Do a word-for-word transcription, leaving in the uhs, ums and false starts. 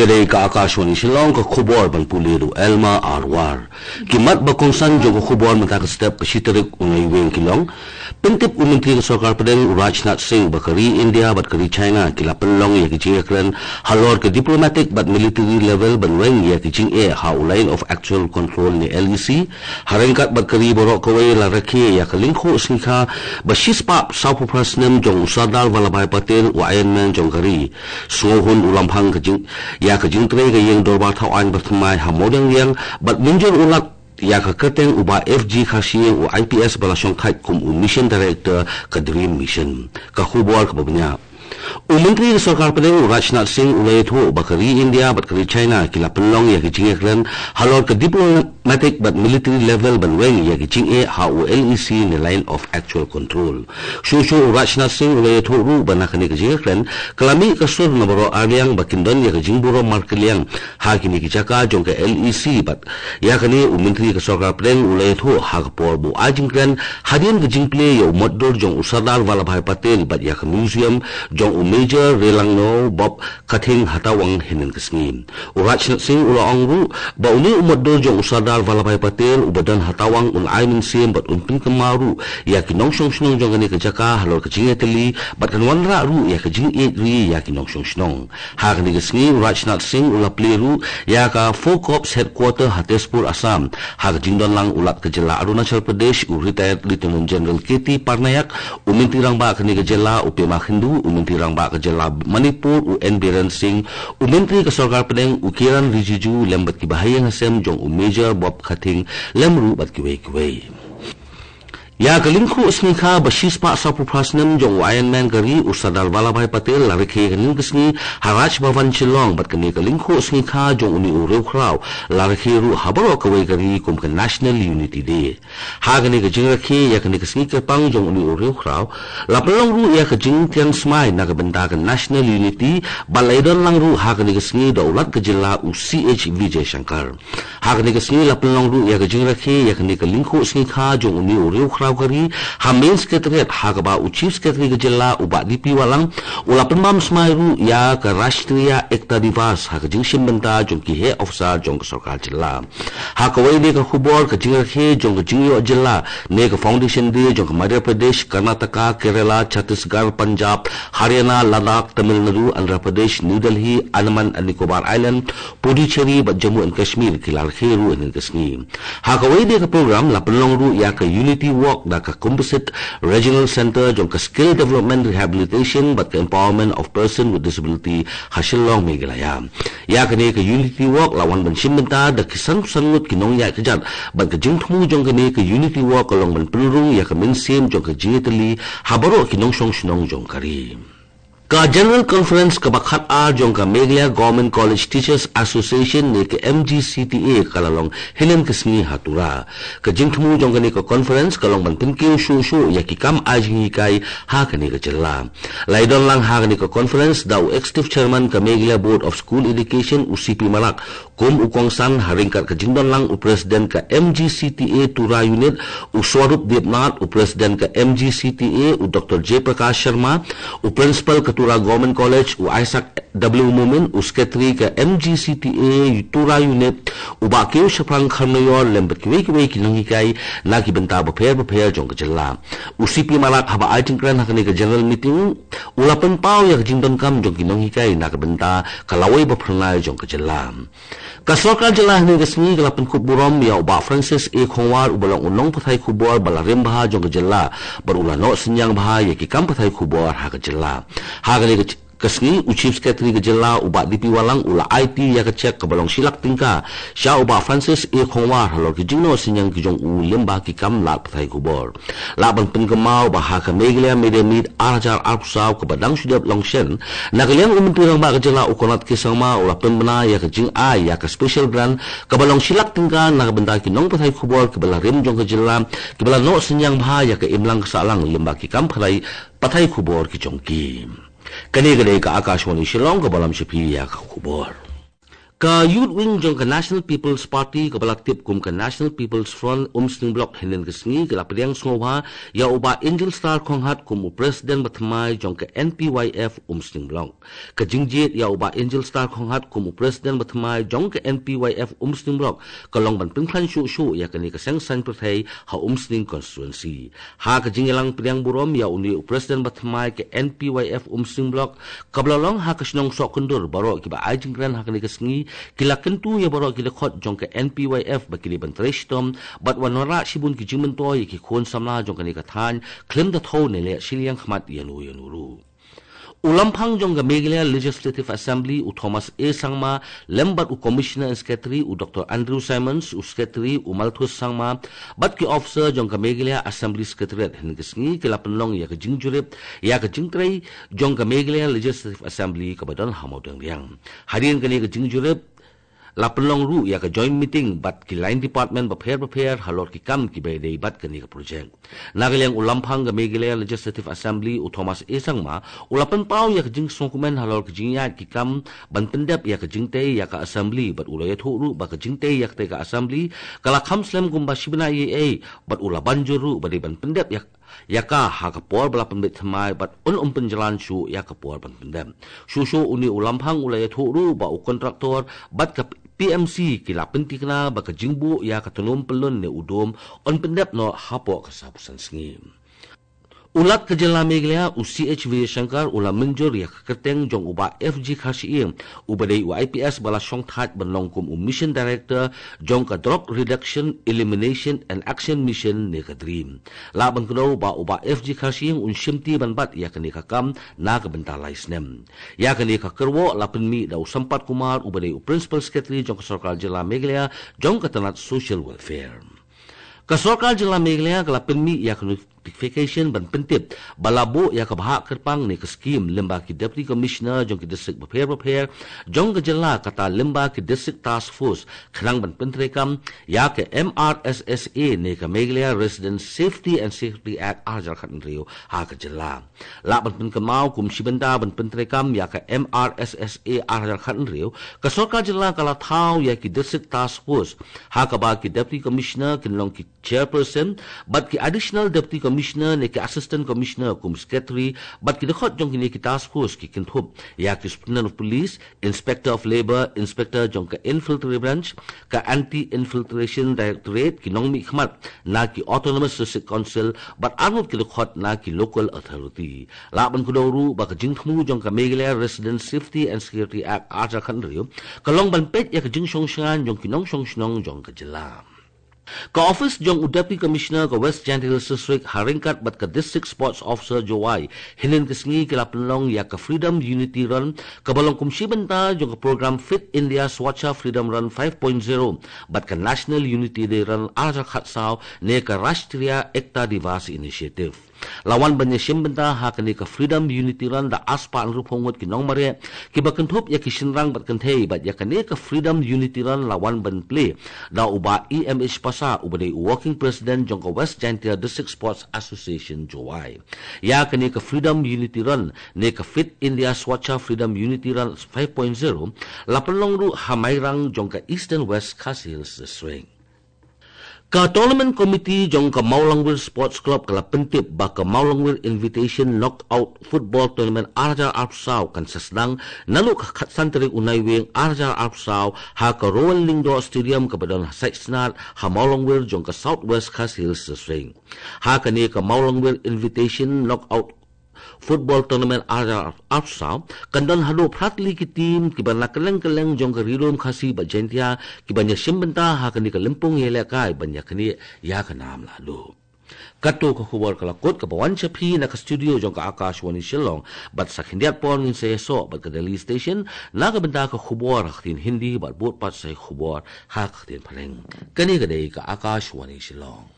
Ka dei ka Akashvani Shillong, ka khubor ban pule da u Elma Arwar. Ki mat ba kongsan jong ka khubor mynta ka step, ka shi tarik u Naiwieng ki long: Pyntip u Myntri ka Sorkar Pdeng u Rajnath Singh ba ka ri India bad ka ri China ki la pynlong ïa ki jingïakren halor ka diplomatic bad military level ban weng ïa ki jingeh ha u Line of Actual Control ne L A C. Ha ryngkat bad ka ri baroh kawei la rakhe ïa ka lyngkhuh sngikha ba shispah sawphew phra snem jong u Sardar Vallabhbhai Patel, u Iron Man jong ka ri. Sngewhun u lamphang ka jing, ïa ka jingtrei ka ïing dorbar thaw aiñ ba thymmai ha Mawdiangdiang bad mynjur u lad ïa ka kyrteng u Bah F G Kharshiing, u I P S ba la shongthait kum u Mission Director ka Dream Mission. Ka khubor kaba bniah. U Myntri ka Sorkar Pdeng u Rajnath Singh u la ïathuh ba ka ri India bad ka ri China ki la pynlong ïa ki jingïakren halor ka diplomatic bad military level ban weng ïa ki jingeh ha u L A C ne Line of Actual Control. Shuh shuh u Rajnath Singh u la ïathuh ruh ba na kane ka jingïakren ka la mih ka sur na baroh arliang ba kin don ïa ka jingburom markylliang ha kine ki jaka jong ka L A C bad ïa kane u Myntri ka Sorkar Pdeng u la ïathuh ha ka por ba u ai jingkren hadien ka jingplie ïa u motdur jong u Sardar Vallabhbhai Patel bad ïa ka museum jong u Major Relangno Bob Khathing ha Tawang hynnin ka sngi. U Rajnath Singh u la ong ruh ba une u motdur jong u Sardar Vallabhbhai Patel uba don ha Tawang un ai mynsiem bad un pynkynmaw ruh ïa ki nongshong shnong jong kane ka jaka halor ka jingïatylli bad kan wanrah ruh ïa ka jingïeit ri ïa ki nongshong shnong. Ha kane ka sngi u Rajnath Singh u la plie ruh ïa ka Four Corps Headquarter ha Tezpur, Assam. Ha ka jingdon lang u Lat ka jylla Arunachal Pradesh u Retired Lieutenant General K T Parnaik, u Myntri Rangbah kane ka jylla u Pema Khandu, u Myntri Rangbah ka jylla Manipur u N Biren Singh, u Myntri ka Sorkar Pdeng u Kiren Rijiju lem bad ki bahaïing hasem jong u Major Bob Khathing lem ruh bad kiwei kiwei. Ïa ka lyngkhuh sngikha ba shispah sawphew phra snem jong u Iron Man ka ri u Sardar Vallabhbhai Patel la rakhe hynnin ka sngi ha Raj Bhavan Shillong bad kane ka lyngkhuh sngikha jong une u riewkhraw la rakhe ruh ha baroh kawei ka ri kum ka National Unity Day. Ha kane ka jingrakhe ïa kane ka sngi kyrpang jong une u riewkhraw la pynlong ruh ïa ka jingtian smai na ka bynta ka National Unity bad la ïadon lang ruh ha kane ka sngi da u Lat ka jylla u C H Vijayashankar. Ha kane ka sngi la pynlong ruh ïa ka jingrakhe ïa kane ka lyngkhuh sngikha jong une u riewkhraw ka ri ha Main Secretariat ha kaba u Chief Secretary ka jylla u Bah D P Wahlang u la pynbam smai ruh ïa ka Rashtriya Ekta Diwas ha ka jingshim bynta jong ki heh officer jong ka sorkar jylla. Ha kawei de ka khubor, ka jingrakhe jong ka jingïoh jylla ne ka Foundation Day jong ka Madhya Pradesh, Karnataka, Kerala, Chhattisgarh, Punjab, Haryana, Ladakh, Tamil Nadu, Andhra Pradesh, New Delhi, Andaman and Nicobar Island, Puducherry bad Jammu and Kashmir ki la rakhe ruh hynnin ka sngi. Ha kawei de ka program la pynlong ruh ïa ka Unity Walk da ka Composite Regional Centre jong ka Skill Development, Rehabilitation bad ka Empowerment of Person with Disability ha Shillong, Meghalaya. Ïa kane ka Unity Walk la wan ban shim bynta da ki san san ngut ki nongïaid kjat bad ka jingthmu jong kane ka Unity Walk ka long ban pynrung ïa ka mynsiem jong ka jingïatylli ha baroh ki nongshong shnong jong ka ri. Ka General Conference kaba khatar jong ka Meghalaya Government College Teachers Association ne ka M G C T A ka la long hynnin ka sngi ha Tura. Ka jingthmu jong kane ka conference ka long ban pynkiew shuh shuh ïa ki kam ai jinghikai ha kane ka jylla. La ïadon lang ha kane ka conference da u Executive Chairman ka Meghalaya Board of School Education u C P Marak kum u kongsan, ha ryngkat ka jingdon lang u President ka M G C T A Tura Unit u Swarup Debnath, u President ka M G C T A u Doctor J Prakash Sharma, u Principal ka Tura Government College u Isaac W Momin, u Secretary ka M G C T A Tura Unit u Bah Kiew Shaphrang Kharmayor lem bad kiwei kiwei ki nonghikai na ki bynta bapher bapher jong ka jylla. U C P Marak haba ai jingkren ha kane ka general meeting u la pynpaw ïa ka jingdonkam jong ki nonghikai na ka bynta ka lawei ba phyrnai jong ka jylla. Ka sorkar jylla hynne ka sngi ka la pynkup burom ïa u Bah Francis A Khongwar uba long u nongpathai khubor ba la rim bha jong ka jylla bad u la noh synñiang bha ïa ki kam pathai khubor ha ka jylla. Ha kane ka ka sngi, u Chief Secretary ka jylla u Bah D P Wahlang u la aiti ïa ka cheque kaba long shi lak tyngka sha u Bah Francis A Khongwar halor ki jingnoh synñiang ki jong u lyngba ki kam lad pathai khubor. Lah ban pynkynmaw ba ha ka Meghalaya Media Meet ar hajar arphew saw kaba dang shu dep long shen, na ka liang u Myntri Rangbah ka jylla u Conrad K Sangma u la pynbna ïa ka jingai ïa ka special grant kaba long shi lak tyngka na ka bynta ki nongpathai khubor kiba la rim jong ka jylla kiba la noh synñiang bha ïa ka imlang ka sahlang lyngba ki kam pathai, pathai khubor ki jong ki. Kane ka dei ka Akashvani Shillong kaba lam sha phi ïa ka khubor. Ka Youth Wing jong ka National People's Party, kaba la tip kum ka National People's Front Umsning Block, hynnin ka sngi ka la pdiang sngewbha ïa u Bah Angel Star Khonghat kum u President bathymmai jong ka N P Y F Umsning Block. Ka jingjied ïa u Bah Angel Star Khonghat kum u President bathymmai jong ka N P Y F Umsning Block ka long ban pynkhlaiñ shuh shuh ïa kane ka seng saiñ pyrthei ha Umsning constituency. Ha ka jingïalang pdiang burom ïa une u President bathymmai ka N P Y F Umsning Block, kaba la long ha ka shnong Sohkyndur, baroh kiba ai jingkren ha kane ka sngi ki la kyntu ïa baroh ki dkhot jong ka N P Y F ba ki dei ban trei shitom bad wanrah shibun ki jingmyntoi ïa ki khun samla jong kane ka thaiñ, khlem da thew ne leh shiliang khmat ïano ïano ruh. U Lamphang jong ka Meghalaya Legislative Assembly, u Thomas A Sangma, lem bad u Commissioner and Secretary, u Doctor Andrew Simons, u Secretary, u Malthus Sangma, bad ki officer jong ka Meghalaya Assembly Secretariat, hynnin ka sngi ki la pynlong ïa ka jingjurip ïa ka jingtrei jong ka Meghalaya Legislative Assembly kaba don ha Mawdangriang. Hadien kane ka jingjurip, la pynlong ruh ïa ka joint meeting bad ki line department bapher bapher halor ki kam kiba ïadei bad kane ka project. Na ka liang u Lamphang ka Meghalaya Legislative Assembly, u Thomas A Sangma, u la pynpaw ïa ka jingsngewkmen halor ka jingïaid ki kam ban pyndep ïa ka jingtei ïa ka Assembly bad u la ïathuh ruh ba ka jingtei ïa katei ka Assembly ka la kham slem kumba shi bnai ei, bad u la ban jur ruh ba dei ban pyndep ïa ïa ka ha ka por ba la pynbeit thymmai bad un ym pynjlan shuh ïa ka por ban pyndep. Shuh shuh une u Lamphang u la ïathuh ruh ba u kontraktor bad ka P M C ki la pyntikna ba ka jingbuh ïa ka tnum pyllun ne u dum un pyndep noh hapoh ka sawphew san sngi. U Lat ka jylla Meghalaya, u C H Vijayashankar, u la mynjur ïa ka kyrteng jong u Bah F G Kharshiing, uba dei u I P S ba la shongthait ban long kum u Mission Director jong ka Drug Reduction, Elimination and Action Mission ne ka DREAM. Lah ban kdew ba u Bah F G Kharshiing un shimti ban bat ïa kane ka kam na ka bynta lai snem. Ïa kane ka kyrwoh la pynmih da u Sampath Kumar, uba dei u Principal Secretary jong ka Sorkar Jylla Meghalaya jong ka tnat Social Welfare. Ka Sorkar Jylla Meghalaya ka la pynmih ïa ka notification ban pyntip ba la buh ïa ka bhah kyrpang ne ka skhim lyngba ki Deputy Commissioner jong ki district bapher bapher jong ka jylla, kata lyngba ki District Task Force, khnang ban pyntreikam ïa ka M R S S A ne ka Meghalaya Resident Safety and Security Act ar hajar khathynriew ha ka jylla. Lah ban pynkynmaw, kum shi bynta ban pyntreikam ïa ka M R S S A ar hajar khathynriew, ka Sorkar Jylla ka la thaw ïa ki District Task Force, ha kaba ki Deputy Commissioner kin long ki Chairperson, bad ki Additional Deputy Commissioner ne ki Assistant Commissioner kum Secretary, bad ki dkhot jong kine ki Task Force ki kynthup ïa ki Superintendent of Police, Inspector of Labour, Inspector jong ka Infiltrate Branch, ka Anti-Infiltration Directorate, ki nongmihkhmat na ki Autonomous District Council, bad arngut ki dkhot na ki Local Authority. Lah ban kdew ruh ba ka jingthmu jong ka Meghalaya Resident Safety and Security Act ar hajar khathynriew ka long ban peit ïa ka jingshongshngaiñ jong ki nongshong shnong jong ka jylla. Ka office jong u Deputy Commissioner ka West Jaintia Hills District, ha ryngkat bad ka District Sports Officer Jowai, hynnin ka sngi ki la pynlong ïa ka Freedom Unity Run, kaba long kum shi bynta jong ka program Fit India Swachha Freedom Run five point zero bad ka National Unity Day Run ar hajar khatsaw ne ka Rashtriya Ekta Diwas Initiative. La wan ban ïashim bynta ha kane ka Freedom Unity Run da arspah hynriewphew ngut ki nongmareh, kiba kynthup ïa ki shynrang bad kynthei, bad ïa kane ka Freedom Unity Run la wan ban plie da u Bah E M H Passah, uba dei u Working President jong ka West Jaintia District Sports Association Jowai. Ïa kane ka Freedom Unity Run ne ka Fit India Swachha Freedom Unity Run five point zero la pynlong ruh ha Mairang jong ka Eastern West Khasi Hills District. Ka Tournament Committee jong ka Mawlangwir Sports Club ka la pyntip ba ka Mawlangwir Invitation Knockout Football Tournament ar hajar arphew saw kan sa sdang naduh ka khatsan tarik u Naiwieng ar hajar arphew saw ha ka Rowan Lyngdoh Stadium kaba don ha Saitsnad ha Mawlangwir jong ka South West Khasi Hills District. Ha kane ka Mawlangwir Invitation Knockout Football Tournament ar hajar arphew saw kan don haduh phra tylli ki team kiba na kylleng kylleng jong ka Ri Lum Khasi bad Jaintia, kiban ïashim bynta ha kane ka lympung ïalehkai ban ïaknieh ïa ka nam lahduh. Kato ka khubor ka la kut kaba wan sha phi na ka studio jong ka Akashvani Shillong, bad sa khyndiat por ngin sa ïasoh bad ka Delhi Station na ka bynta ka khubor ha ka ktien Hindi bad bud pat sa ïa ka khubor ha ka ktien Phareng. Kane ka dei ka Akashvani Shillong.